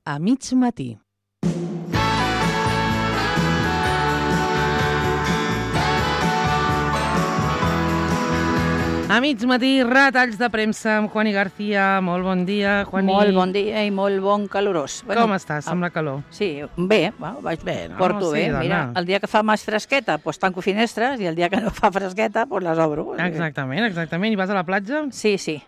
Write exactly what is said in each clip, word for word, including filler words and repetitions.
A mig matí. A mig matí, retalls de premsa amb Juani García. Molt bon dia, Juani. Molt bon dia i molt bon calorós. Bueno, com estàs amb la calor? Sí, bé, bueno, vaig bé, no? porto Sí, bé. dona. Mira, el dia que fa més fresqueta, doncs tanco finestres, i el dia que no fa fresqueta, doncs les obro. Exactament, exactament. I vas a la platja? Sí, sí.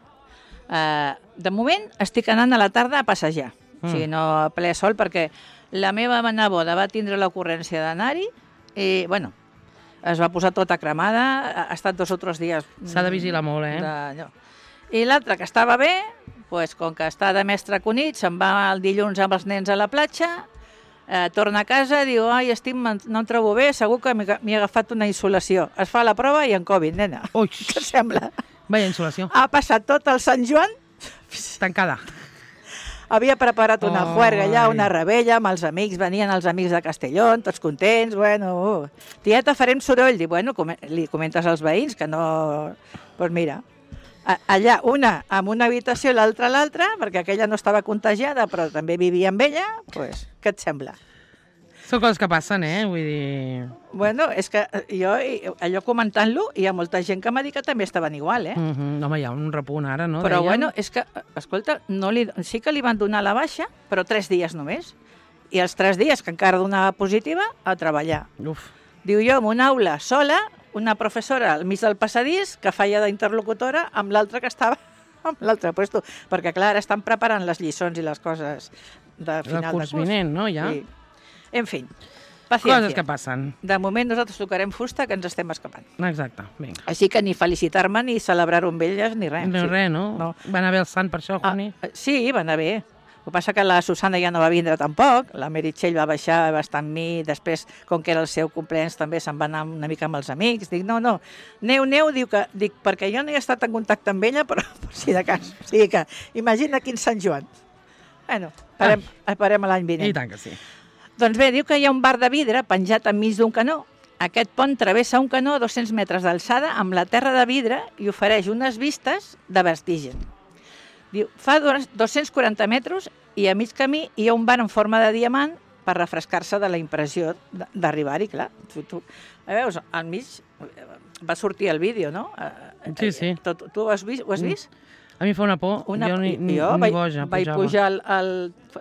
Uh, de moment estic anant a la tarda a passejar. Mm. O sigui, no a ple sol, perquè la meva neboda va tindre l'ocurrència d'anar-hi i, bueno, es va posar tota cremada, ha estat dos o tres dies... S'ha de vigilar molt, eh? De... I l'altre, que estava bé, pues, com que està de mestre Cunit, se'n va el dilluns amb els nens a la platja, eh, torna a casa, diu, ai, estic, no em trobo bé, segur que m'he he agafat una insolació. Es fa la prova i en Covid, nena. Ui! Què sembla? Vaya insolació. Ha passat tot el Sant Joan... Tancada. Havia preparat una oh, juerga allà, una rebella, amb els amics, venien els amics de Castellón, tots contents, bueno, uh. tieta, farem soroll. Dic, bueno, com, li comentes als veïns que no... Doncs pues mira, a, allà una amb una habitació i l'altra a l'altra, perquè aquella no estava contagiada, però també vivia amb ella, doncs, pues, què et sembla? Són coses que passen, eh? Vull dir... Bueno, és que jo, allò comentant-lo, hi ha molta gent que m'ha dit que també estaven igual, eh? Mm -hmm. Home, hi ha un repunt ara, no? Però, Deien... bueno, és que, escolta, no li, sí que li van donar la baixa, però tres dies només. I els tres dies que encara donava positiva, a treballar. Uf. Diu jo, en una aula sola, una professora al mig del passadís, que feia d'interlocutora, amb l'altra que estava amb l'altre puesto. Perquè, clar, ara estan preparant les lliçons i les coses de final de curs. El curs vinent, no, ja? Sí. En fi, paciència. Coses que passen. De moment nosaltres tocarem fusta, que ens estem escapant. Exacte, vinga. Així que ni felicitar-me, ni celebrar-ho amb elles, ni res. No, sí. res, no? no? Va anar bé el sant per això, Juani? Ah, sí, va anar bé. El que passa que la Susana ja no va vindre tampoc, la Meritxell va baixar, va estar amb mi, després, com que era el seu cumpleaños, també se'n va anar una mica amb els amics. Dic, no, no, neu, neu, diu que, dic, perquè jo no he estat en contacte amb ella, però per si de cas. O sigui que, imagina quin Sant Joan. Bueno, esperem, ah. esperem l'any vinent. I tant que sí. Doncs bé, diu que hi ha un bar de vidre penjat enmig d'un canó. Aquest pont travessa un canó a dos-cents metres d'alçada amb la terra de vidre i ofereix unes vistes de vertigen. Diu, fa dos-cents quaranta metres i a mig camí hi ha un bar en forma de diamant per refrescar-se de la impressió d'arribar-hi, clar. Tu, tu, veus, al mig va sortir el vídeo, no? Sí, sí. Tu, tu ho has vist? Ho has vist? A mi fa una por, una, jo ni, ni, jo ni vaig, boja vaig pujava. pujar al, al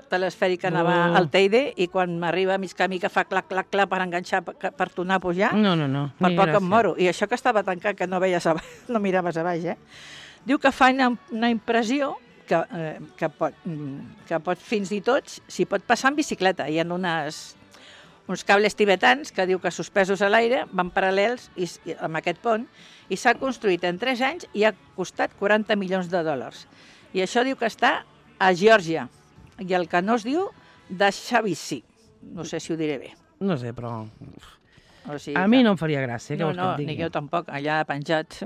telesfèric que anava uh. al Teide i quan m'arriba a mig camí que fa clac, clac, clac per enganxar, per, per tornar a pujar, no, no, no. per poc em moro. I això que estava tancat, que no veies a baix, no miraves a baix, eh? Diu que fa una, una impressió que, eh, que, pot, que pot fins i tot, si pot passar en bicicleta. Hi ha unes, uns cables tibetans que diu que suspesos a l'aire van paral·lels i, i, amb aquest pont i s'ha construït en tres anys i ha costat quaranta milions de dòlars. I això diu que està a Geòrgia. I el canó es diu Dashavisi. No sé si ho diré bé. No sé, però... O sigui, a mi no em faria gràcia, què no, vols que no, et digui? ni jo tampoc, allà penjat.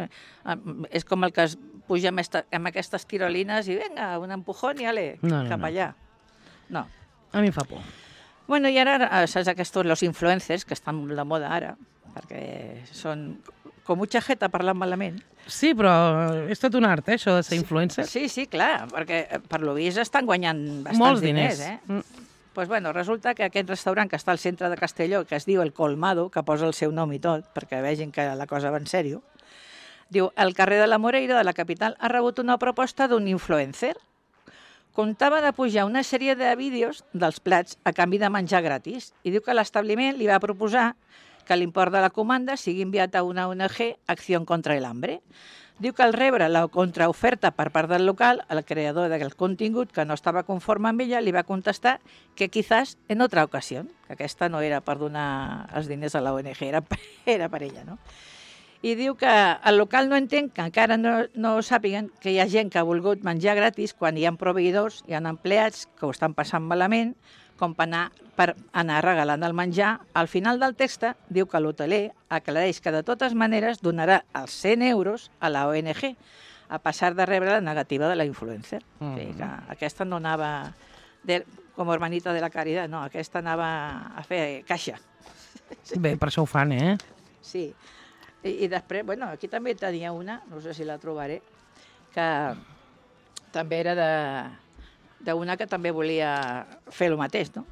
És com el que es puja amb, esta, amb aquestes tirolines i vinga, un empujón i ale, no, no, cap no. allà. No. A mi em fa por. Bueno, i ara, saps aquests, los influencers, que estan de moda ara, perquè són com mucha jeta parlant malament. Sí, però és tot un art, eh, això de ser influencer. Sí, sí, clar, perquè per lo vist estan guanyant bastants molts diners, diners. eh? Mm. Pues bueno, resulta que aquest restaurant que està al centre de Castelló, que es diu El Colmado, que posa el seu nom i tot, perquè vegin que la cosa va en sèrio, diu, el carrer de la Moreira, de la capital, ha rebut una proposta d'un influencer. Comptava de pujar una sèrie de vídeos dels plats a canvi de menjar gratis i diu que l'establiment li va proposar que l'import de la comanda sigui enviat a una O N G, Acció contra el Hambre. Diu que al rebre la contraoferta per part del local, el creador del contingut, que no estava conforme amb ella, li va contestar que quizás en otra ocasión, que aquesta no era per donar els diners a la O N G, era, era per ella, no? I diu que el local no entén que encara no, no sàpiguen que hi ha gent que ha volgut menjar gratis quan hi ha proveïdors, hi ha empleats que ho estan passant malament, com per anar, per anar regalant el menjar. Al final del text diu que l'hoteler aclareix que de totes maneres donarà els cent euros a la O N G, a passar de rebre la negativa de la influencer. Mm -hmm. O sigui que aquesta no anava de, com hermanita de la caridad, no, aquesta anava a fer caixa. Bé, per això ho fan, eh? Sí. I, i després, bueno, aquí també tenia una, no sé si la trobaré, que també era de... d'una que també volia fer el mateix, no?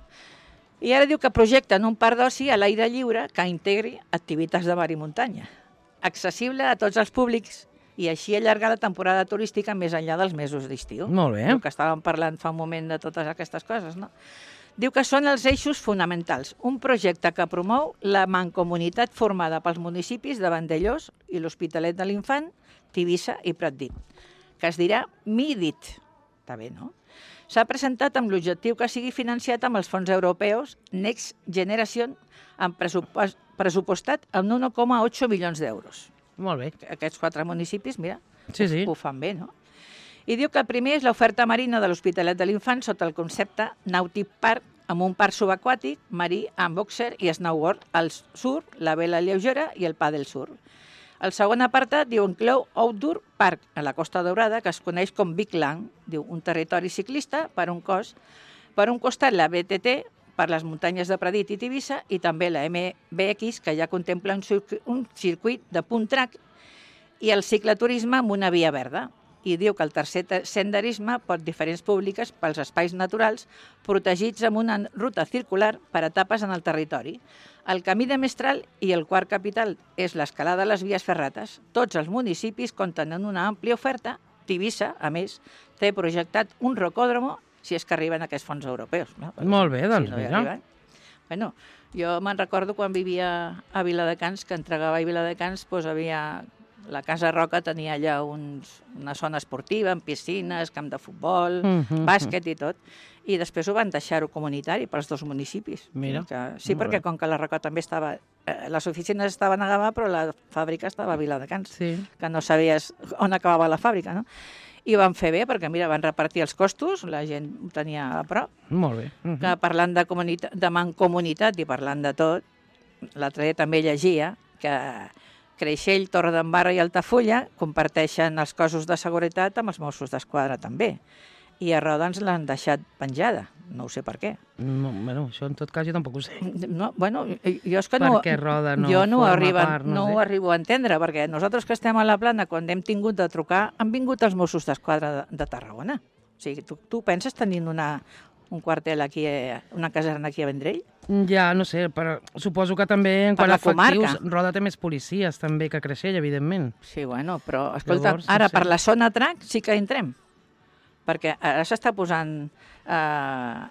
I ara diu que projecten un parc d'oci a l'aire lliure que integri activitats de mar i muntanya, accessible a tots els públics i així allargar la temporada turística més enllà dels mesos d'estiu. Molt bé. El que estàvem parlant fa un moment de totes aquestes coses, no? Diu que són els eixos fonamentals, un projecte que promou la mancomunitat formada pels municipis de Vandellós i l'Hospitalet de l'Infant, Tivissa i Pratdip, que es dirà MIDIT. Està bé, no? S'ha presentat amb l'objectiu que sigui financiat amb els fons europeus Next Generation, amb pressupost, pressupostat amb un un coma ocho milions d'euros. Molt bé. Aquests quatre municipis, mira, Sí, sí. ho fan bé, no? I diu que el primer és l'oferta marina de l'Hospitalet de l'Infant sota el concepte Nautic Park, amb un parc subaquàtic, marí, amb boxer i snowboard al surf, la vela lleugera i el pàdel surf. El segon apartat diu inclou Outdoor Park, a la Costa Daurada, que es coneix com Big Land, diu un territori ciclista per un cos, per un costat la B T T, per les muntanyes de Pradit i Tivissa, i també la M B X, que ja contempla un, circuit, un circuit de punt track, i el ciclaturisme amb una via verda. I diu que el tercer senderisme pot diferents públiques pels espais naturals protegits amb una ruta circular per etapes en el territori. El camí de Mestral i el quart capital és l'escalada de les vies ferrates. Tots els municipis compten amb una àmplia oferta. Tivissa, a més, té projectat un rocòdromo si és que arriben aquests fons europeus. No? Molt bé, doncs si no hi mira. arriben. Bueno, jo me'n recordo quan vivia a Viladecans, que entregava a Viladecans, doncs havia... La Casa Roca tenia allà uns, una zona esportiva, amb piscines, camp de futbol, Mm, mm, bàsquet i tot. I després ho van deixar-ho comunitari pels dos municipis. Mira, Que, sí, molt perquè bé. com que la Roca també estava... Eh, les oficines estaven a Gavà, però la fàbrica estava a Viladecans, Sí. que no sabies on acabava la fàbrica, no? I ho van fer bé, perquè, mira, van repartir els costos, la gent ho tenia a prop. Molt bé. Mhm. Que parlant de, comunitat, de mancomunitat i parlant de tot, l'altre dia també llegia que Creixell, Torredembarra i Altafulla comparteixen els cossos de seguretat amb els Mossos d'Esquadra també. I a Roda ens l'han deixat penjada. No ho sé per què. No, bueno, això en tot cas jo tampoc ho sé. No, bueno, jo és que Per no, què Roda no jo no, ho forma arriba, part, no no sé. ho arribo a entendre, perquè nosaltres que estem a la Plana, quan hem tingut de trucar, han vingut els Mossos d'Esquadra de, de Tarragona. O sigui, tu, tu penses tenint una, un quartel aquí, eh, una caserna aquí a Vendrell? Ja, no sé, però suposo que també en Per quant a la comarca. efectius, Roda té més policies també que Creixell, evidentment. Sí, bueno, però, escolta, Llavors, no ara sé. per la zona track sí que entrem. Perquè ara s'està posant... Eh,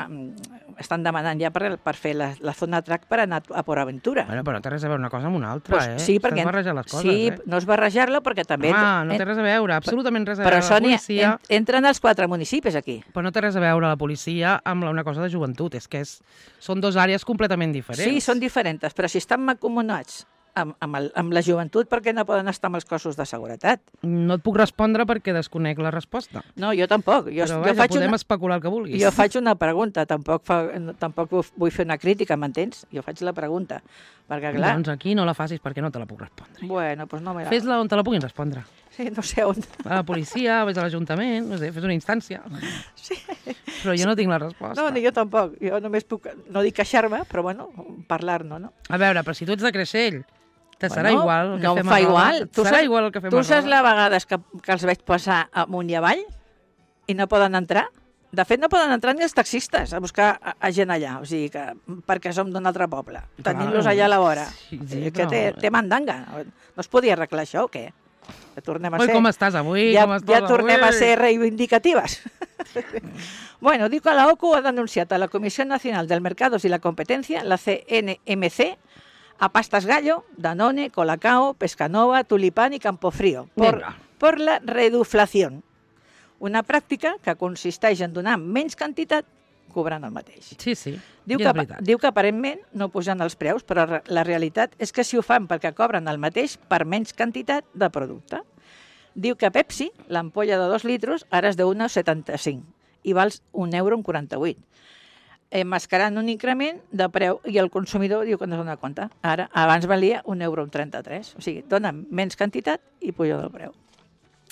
em, estan demanant ja per, per fer la, la zona track per anar a Port Aventura. Bueno, però no té res a veure una cosa amb una altra, Pues eh? sí, perquè... Estàs barrejant les coses, sí, eh? no és barrejar-la perquè també... Ah, no en- té res a veure, absolutament res a Però veure. són, La policia, en, entren els quatre municipis aquí. però no té res a veure la policia amb la- una cosa de joventut, és que és, són dos àrees completament diferents. Sí, són diferents, però si estan mancomunats amb, amb, el, amb la joventut, per què no poden estar amb els cossos de seguretat? No et puc respondre perquè desconec la resposta. No, jo tampoc. Jo, Però jo, vaja, faig podem una, especular el que vulguis. jo faig una pregunta, tampoc, fa, no- tampoc vull fer una crítica, m'entens? Jo faig la pregunta, perquè clar... Doncs aquí no la facis perquè no te la puc respondre. Bueno, doncs no me la... Fes-la on te la puguin respondre. Sí, no sé on. A la policia, vés a l'Ajuntament, no sé, fes una instància. Sí. Però jo no tinc la resposta. No, ni jo tampoc. Jo només puc, no dic queixar-me, però bueno, parlar-ne, no? A veure, però si tu ets de Creixell, te serà Bueno, igual el que no em fem fa a Roda. igual. Et Tu serà saps- igual el que fem Tu a saps Roda. la vegades que, que els veig passar amunt i avall i no poden entrar? De fet, no poden entrar ni els taxistes a buscar a, a gent allà, o sigui que perquè som d'un altre poble. Clar, Tenint-los allà a la vora. sí, sí, Sí, que però- té, té mandanga. No es podia arreglar això o què? Que tornem a Ui, ser... com estàs avui? ja, com estàs ja tornem avui? a ser reivindicatives. Bueno, diu que la O C U ha denunciat a la Comissió Nacional del Mercados y la Competencia, la C N M C, a Pastas Gallo, Danone, Colacao, Pescanova, Tulipán y Campofrío, por, Vinga. por la reduflación. Una pràctica que consisteix en donar menys quantitat cobrant el mateix. Sí, sí, Diu i que, és veritat. diu que aparentment no pujan els preus, però re- la realitat és que si ho fan perquè cobren el mateix per menys quantitat de producte. Diu que Pepsi, l'ampolla de dos litros, ara és d'un euro setanta-cinc i val un euro amb quaranta-vuit. Enmascarant un increment de preu i el consumidor diu que no es dona compte. Ara, abans valia un euro amb trenta-tres. O sigui, dona menys quantitat i puja del preu.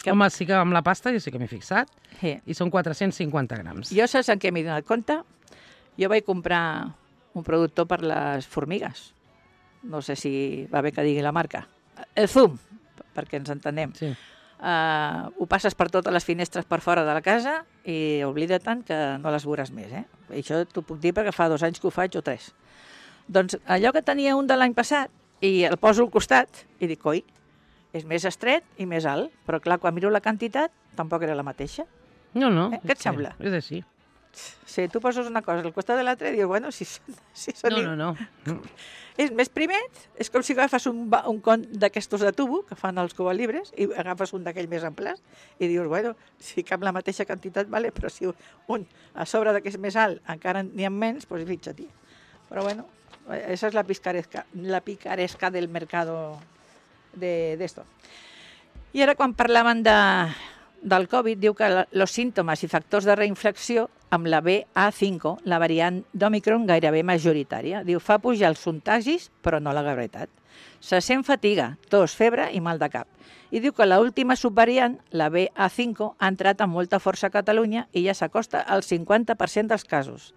Que- Home, sí que amb la pasta jo sí que m'he fixat, Sí. i són quatre-cents cinquanta grams. Jo saps en què m'he donat compte? Jo vaig comprar un productor per les formigues. No sé si va bé que digui la marca. El Zoom, perquè ens entenem. Sí. Uh, ho passes per totes les finestres per fora de la casa i oblida tant que no les veuràs més. Eh? I això t'ho puc dir perquè fa dos anys que ho faig o tres. Doncs allò que tenia un de l'any passat i el poso al costat i dic, oi, és més estret i més alt, però clar, quan miro la quantitat tampoc era la mateixa. No, no. Eh? Què et sembla? És així. Sí, tu poses una cosa al costat de l'altra i dius, bueno, si, si són... No, no, no. És més primet, és com si agafes un, un con d'aquestos de tubo que fan els cubalibres i agafes un d'aquell més amplats i dius, bueno, si cap la mateixa quantitat, vale, però si un a sobre d'aquest més alt encara n'hi ha menys, doncs fixa-t'hi. Però bueno, esa és la picaresca, la picaresca del mercado de, de esto. I ara quan parlaven de... del Covid, diu que els símptomes i factors de reinfecció amb la B A cinc, la variant d'Omicron gairebé majoritària. Diu, fa pujar els contagis, però no la gravetat. Se sent fatiga, tos, febre i mal de cap. I diu que l'última subvariant, la B A cinc, ha entrat amb molta força a Catalunya i ja s'acosta al cinquanta per cent dels casos.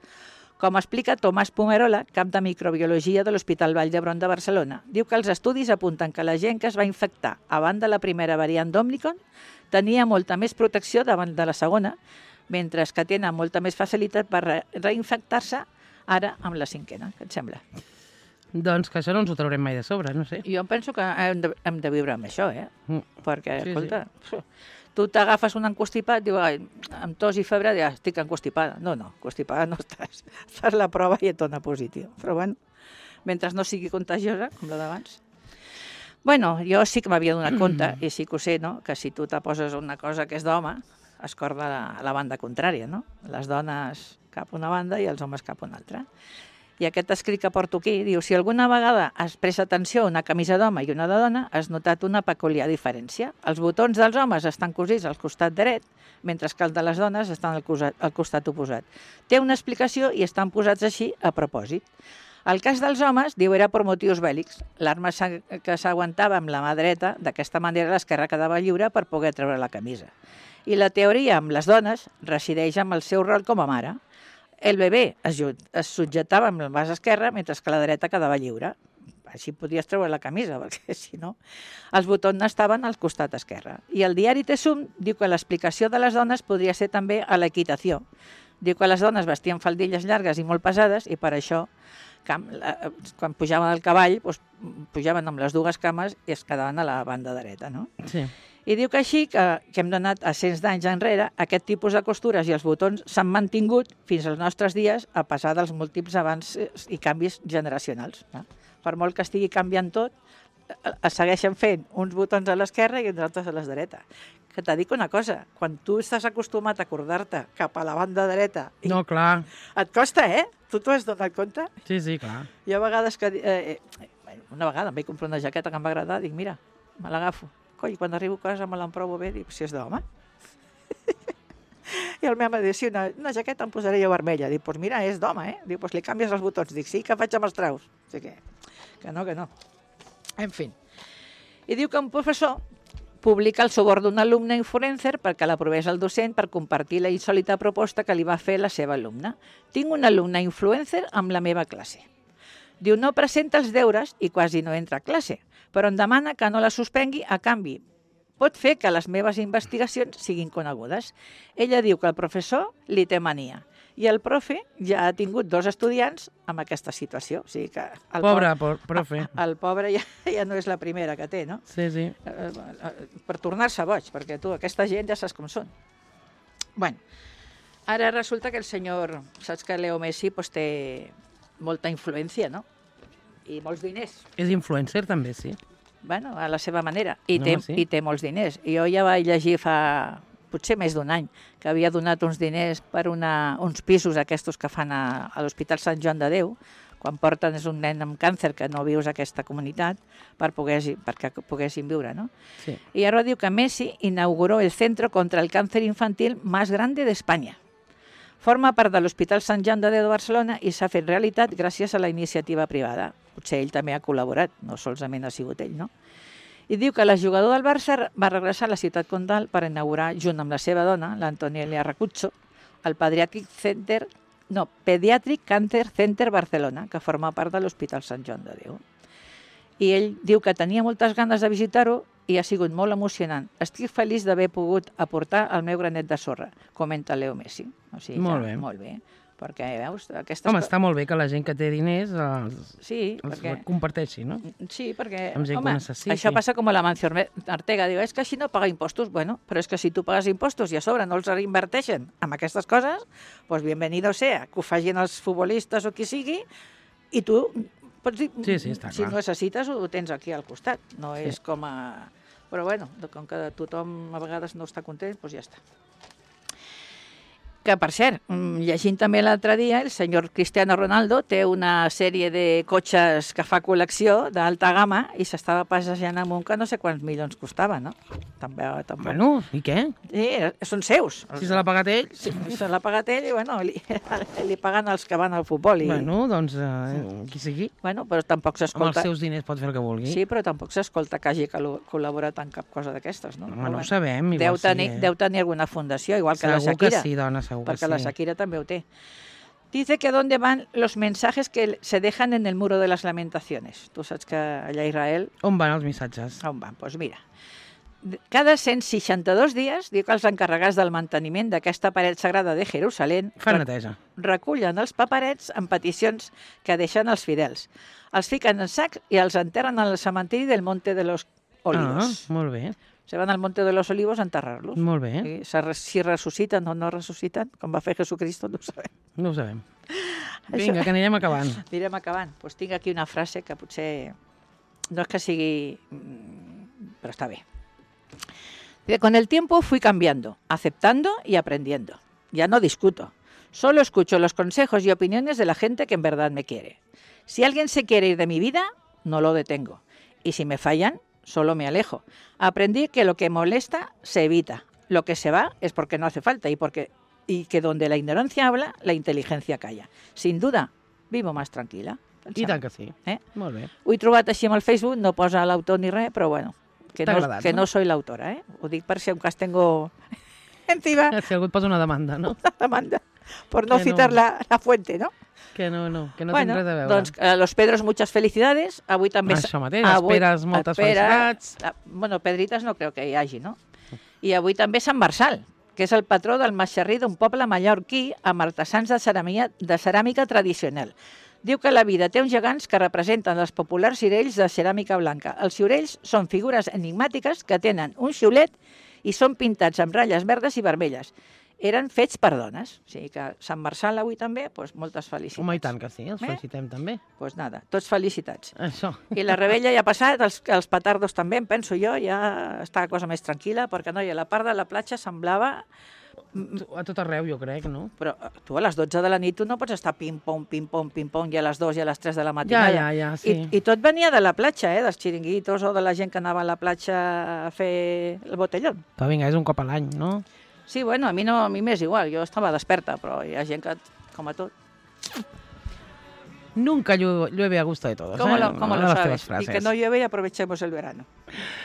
Com explica Tomàs Pomerola, cap de microbiologia de l'Hospital Vall d'Hebron de Barcelona, diu que els estudis apunten que la gent que es va infectar abans de la primera variant d'Omicron tenia molta més protecció davant de la segona, mentre que tenen molta més facilitat per re reinfectar-se ara amb la cinquena. Què et sembla? Doncs que això no ens ho traurem mai de sobre, no sé. Jo penso que hem de, hem de viure amb això, eh? Mm. Perquè, Sí, escolta, sí. tu t'agafes un encostipat, diu, ai, amb tos i febre, ja estic encostipada. No, no, encostipada no estàs. Fas la prova i et dona positiu. Però bueno, mentre no sigui contagiosa, com la d'abans. Bueno, jo sí que m'havia donat compte, i sí que ho sé, no?, que si tu te poses una cosa que és d'home, es corda la, la banda contrària, no? Les dones cap a una banda i els homes cap a una altra. I aquest escrit que porto aquí diu, si alguna vegada has pres atenció a una camisa d'home i una de dona, has notat una peculiar diferència. Els botons dels homes estan cosits al costat dret, mentre que els de les dones estan al costat, al costat oposat. Té una explicació i estan posats així a propòsit. El cas dels homes, diu, era per motius bèl·lics. L'arma que s'aguantava amb la mà dreta, d'aquesta manera l'esquerra quedava lliure per poder treure la camisa. I la teoria amb les dones resideix amb el seu rol com a mare. El bebè es, es subjetava amb el braç esquerre, mentre que la dreta quedava lliure. Així podies treure la camisa, perquè si no, els botons estaven al costat esquerre. I el diari Tesum diu que l'explicació de les dones podria ser també a l'equitació. Diu que les dones vestien faldilles llargues i molt pesades i per això, quan pujaven al cavall, doncs, pujaven amb les dues cames i es quedaven a la banda dreta, no? Sí. I diu que així, que, que hem donat a cents d'anys enrere, aquest tipus de costures i els botons s'han mantingut fins als nostres dies a passar dels múltiples avanços i canvis generacionals. No? Per molt que estigui canviant tot, es segueixen fent uns botons a l'esquerra i uns altres a la dreta. Que t'ha dit una cosa, quan tu estàs acostumat a acordar-te cap a la banda dreta... I no, clar. Et costa, eh? Tu t'ho has donat compte? Sí, sí, clar. Hi ha vegades que... Eh, eh, una vegada em vaig comprar una jaqueta que em va agradar, dic, mira, me l'agafo. Coi, quan arribo a casa me l'emprovo bé, dic, si és d'home. I el meu home diu, sí, una, una jaqueta em posaré jo vermella. Dic, doncs pues mira, és d'home, eh? Diu, doncs pues li canvies els botons. Dic, sí, que faig amb els traus. O sigui que, que no, que no. En fi. I diu que un professor publica el sobor d'un alumne influencer perquè l'aprovés el docent per compartir la insòlita proposta que li va fer la seva alumna. Tinc un alumne influencer amb la meva classe. Diu, no presenta els deures i quasi no entra a classe, però em demana que no la suspengui a canvi. Pot fer que les meves investigacions siguin conegudes. Ella diu que el professor li té mania i el profe ja ha tingut dos estudiants amb aquesta situació. O sigui que el pobre pobre, profe. El pobre ja, ja no és la primera que té, no? Sí, sí. Per tornar-se boig, perquè tu, aquesta gent ja saps com són. Bueno, ara resulta que el senyor, saps que Leo Messi pues, té molta influència, no? I molts diners. És influencer també, sí. Bueno, a la seva manera. I, No, té, sí. i té molts diners. I jo ja vaig llegir fa potser més d'un any que havia donat uns diners per una, uns pisos aquests que fan a, a l'Hospital Sant Joan de Déu, quan porten és un nen amb càncer que no vius a aquesta comunitat per poder, perquè poguessin viure, no? Sí. Y ahora diu que Messi inauguró el Centro contra el Cáncer Infantil más grande de España. Forma part de l'Hospital Sant Joan de Déu de Barcelona i s'ha fet realitat gràcies a la iniciativa privada. Potser ell també ha col·laborat, no solament ha sigut ell, no? I diu que el jugador del Barça va regressar a la ciutat condal per inaugurar, junt amb la seva dona, l'Antonielia Racuzzo, el Pediatric Center, no, Pediatric Cancer Center Barcelona, que forma part de l'Hospital Sant Joan de Déu. I ell diu que tenia moltes ganes de visitar-ho i ha sigut molt emocionant. Estic feliç d'haver pogut aportar el meu granet de sorra, comenta Leo Messi. O sigui, Molt que, bé. Molt bé. Perquè, veus, aquestes... Home, està molt bé que la gent que té diners els, sí, els perquè... comparteixi, no? Sí, perquè, Amb gent que home, ho necessiti. això passa com a la Mancio Ortega. Diu, és que així no paga impostos. Bueno, però és que si tu pagues impostos i a sobre no els reinverteixen amb aquestes coses, doncs bienvenido sea, que ho facin els futbolistes o qui sigui, i tu pots dir, Sí, sí, està si clar. necessites ho tens aquí al costat. No Sí. és com a... Però bueno, com que tothom a vegades no està content, doncs ja està. Que, per cert, mm, llegint també l'altre dia, el senyor Cristiano Ronaldo té una sèrie de cotxes que fa col·lecció d'alta gamma i s'estava passejant amb un que no sé quants milions costava, no? També, també. Bueno, i què? Sí, són seus. Si se l'ha pagat ell... Sí, se l'ha pagat ell i, bueno, li, li paguen els que van al futbol. I, Bueno, doncs, eh, qui sigui, bueno, però tampoc amb els s'escolta... seus diners pot fer el que vulgui. Sí, però tampoc s'escolta que hagi col- col·laborat en cap cosa d'aquestes, no? Home, no Però ho sabem, igual deu tenir, sí, eh? deu tenir alguna fundació, igual que la Segur Shakira. que sí, dona, segur que Perquè sí. la Shakira també ho té. Dice que dónde van los mensajes que se dejan en el muro de las lamentaciones. Tu saps que allà a Israel On van els missatges? on van? Doncs pues mira, cada cent seixanta-dos dies, diu que els encarregats del manteniment d'aquesta paret sagrada de Jerusalem Fan re- neteja. recullen els paperets amb peticions que deixen els fidels. Els fiquen en sacs i els enterren al cementiri del Monte de los Olivos. Ah, molt bé, Se van al Monte de los Olivos a enterrar-los. molt bé. I se re- si ressusciten o no ressusciten, com va fer Jesucristo, no ho sabem. No ho sabem. Vinga, que anirem acabant. Anirem acabant. Pues tinc aquí una frase que potser no és que sigui... mm, però està bé. Dice, con el tiempo fui cambiando, aceptando y aprendiendo. Ya no discuto. Solo escucho los consejos y opiniones de la gente que en verdad me quiere. Si alguien se quiere ir de mi vida, no lo detengo. Y si me fallan, solo me alejo. Aprendí que lo que molesta se evita. Lo que se va es porque no hace falta y, porque, y que donde la ignorancia habla, la inteligencia calla. Sin duda, vivo más tranquila. I tant que sí. Eh? Molt bé. Ho he trobat així amb el Facebook, no posa l'autor ni res, però bueno, que, T'ha no, agradat, que no? no soy l'autora, eh? Ho dic per si un cas tengo encima Si algú et posa una demanda, no? una demanda por no Que citar no. la, la fuente, no? Que no, no, que no bueno, té res a veure. doncs a los Pedros muchas felicidades. Avui també... Això mateix, les Peres, moltes felicitats. ah, Bueno, Pedrites no crec que hi hagi, no? I avui també Sant Marçal, que és el patró del Mascherrí, d'un poble mallorquí amb artesans de ceràmica, de ceràmica tradicional. Diu que la vida té uns gegants que representen els populars ciurells de ceràmica blanca. Els ciurells són figures enigmàtiques que tenen un xiulet i són pintats amb ratlles verdes i vermelles. Eren fets per dones. O sigui que Sant Marçal avui també, doncs moltes felicitats. Home, i tant que sí, els Eh? felicitem també. Doncs pues nada, tots felicitats. Això. I la rebella ja ha passat, els, els petardos també, em penso jo, ja està la cosa més tranquil·la, perquè no, i a la part de la platja semblava... A tot arreu, jo crec, no? Però eh, tu a les dotze de la nit tu no pots estar pim-pom, pim-pom, pim-pom, i a les dues i a les tres de la Ja, matinada. ja, ja, sí. I, I tot venia de la platja, eh, dels xiringuitos o de la gent que anava a la platja a fer el botellón. Però vinga, és un cop a l'any, no? Sí, bueno, a mi no, a mi m'és igual, jo estava desperta, però hi ha gent que, com a tot. Nunca llueve, llueve a gusto de todos, ¿Cómo eh? lo, cómo Una lo de les teves sabes? Y frases. que no llueve y aprovechemos el verano.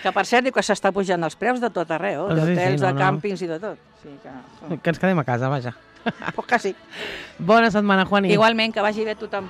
Que per cert, diu que s'està pujant els preus de tot arreu, Ah, sí, sí, d'hotels, no, de no. càmpings i de tot. Sí, que, Que ens quedem a casa, vaja. pues quasi. Bona setmana, Juani. Igualment, que vagi bé tothom.